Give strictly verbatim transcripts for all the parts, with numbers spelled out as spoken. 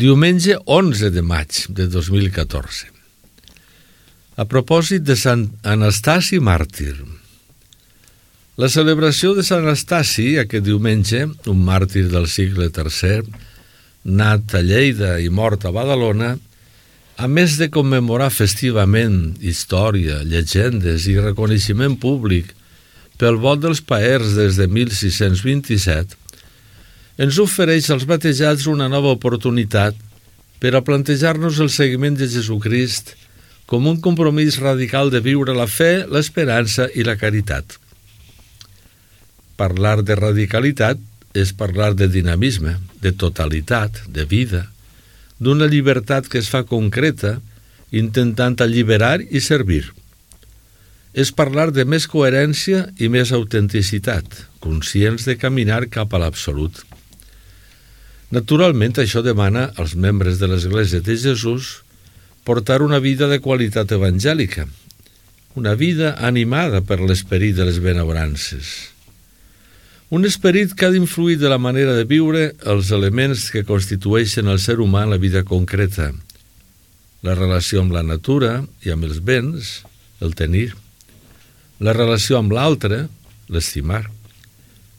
Diumenge onze de maig de dos mil catorze. A propòsit de Sant Anastasi màrtir. La celebració de Sant Anastasi aquest diumenge, un màrtir del segle tercer, nat a Lleida i mort a Badalona, a més de commemorar festivament història, llegendes i reconeixement públic pel vot dels paers des de mil sis-cents vint-i-set, ens ofereix als batejats una nova oportunitat per a plantejar-nos el seguiment de Jesucrist com un compromís radical de viure la fe, l'esperança i la caritat. Parlar de radicalitat és parlar de dinamisme, de totalitat, de vida, d'una llibertat que es fa concreta, intentant alliberar i servir. És parlar de més coherència i més autenticitat, conscients de caminar cap a l'absolut. Naturalment, això demana als membres de l'Església de Jesús portar una vida de qualitat evangèlica, una vida animada per l'esperit de les benaurances. Un esperit que ha d'influir de la manera de viure els elements que constitueixen el ser humà en la vida concreta, la relació amb la natura i amb els béns, el tenir, la relació amb l'altre, l'estimar,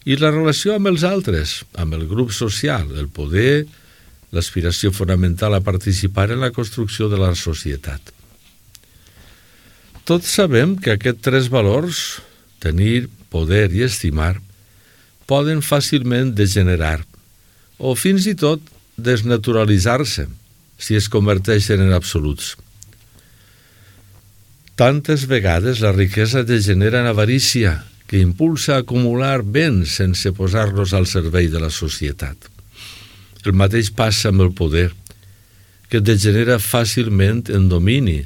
i la relació amb els altres, amb el grup social, el poder, l'aspiració fonamental a participar en la construcció de la societat. Tots sabem que aquests tres valors, tenir, poder i estimar, poden fàcilment degenerar o fins i tot desnaturalitzar-se si es converteixen en absoluts. Tantes vegades la riquesa degenera en avarícia, que impulsa a acumular béns sense posar-los al servei de la societat. El mateix passa amb el poder, que degenera fàcilment en domini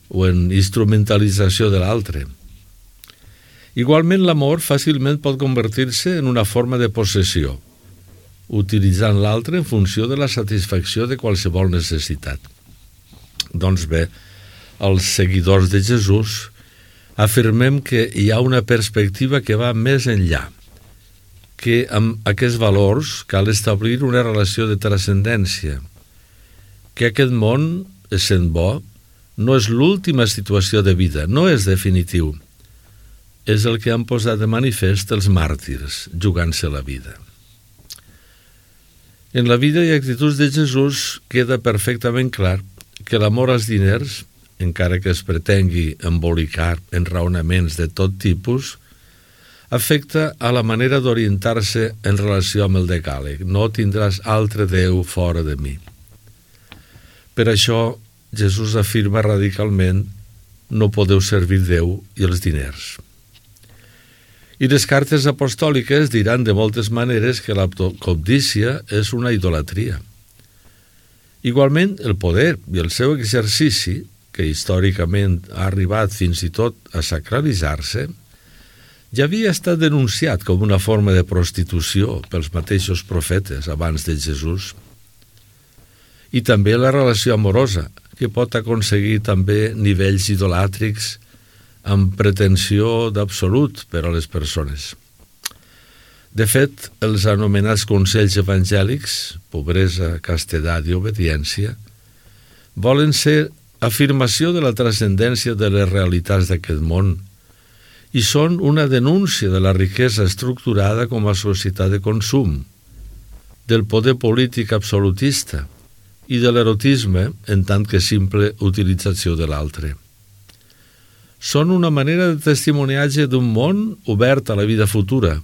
o en instrumentalització de l'altre. Igualment, l'amor fàcilment pot convertir-se en una forma de possessió, utilitzant l'altre en funció de la satisfacció de qualsevol necessitat. Doncs bé, els seguidors de Jesús afirmem que hi ha una perspectiva que va més enllà, que amb aquests valors cal establir una relació de transcendència, que aquest món, essent bo, no és l'última situació de vida, no és definitiu. És el que han posat de manifest els màrtirs, jugant-se la vida. En la vida i actituds de Jesús queda perfectament clar que l'amor als diners, encara que es pretengui embolicar en raonaments de tot tipus, afecta a la manera d'orientar-se en relació amb el decàleg. No tindràs altre Déu fora de mi. Per això, Jesús afirma radicalment: no podeu servir Déu i els diners. I les cartes apostòliques diran de moltes maneres que la cobdícia és una idolatria. Igualment, el poder i el seu exercici, que històricament ha arribat fins i tot a sacralitzar-se, ja havia estat denunciat com una forma de prostitució pels mateixos profetes abans de Jesús. I també la relació amorosa, que pot aconseguir també nivells idolàtrics amb pretensió d'absolut per a les persones. De fet, els anomenats consells evangèlics, pobresa, castedat i obediència, volen ser afirmació de la transcendència de les realitats d'aquest món i són una denúncia de la riquesa estructurada com a societat de consum, del poder polític absolutista i de l'erotisme en tant que simple utilització de l'altre. Són una manera de testimoniatge d'un món obert a la vida futura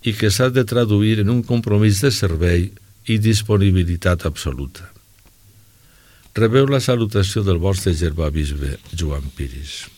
i que s'ha de traduir en un compromís de servei i disponibilitat absoluta. Rebeu la salutació del vostre germà bisbe Joan Piris.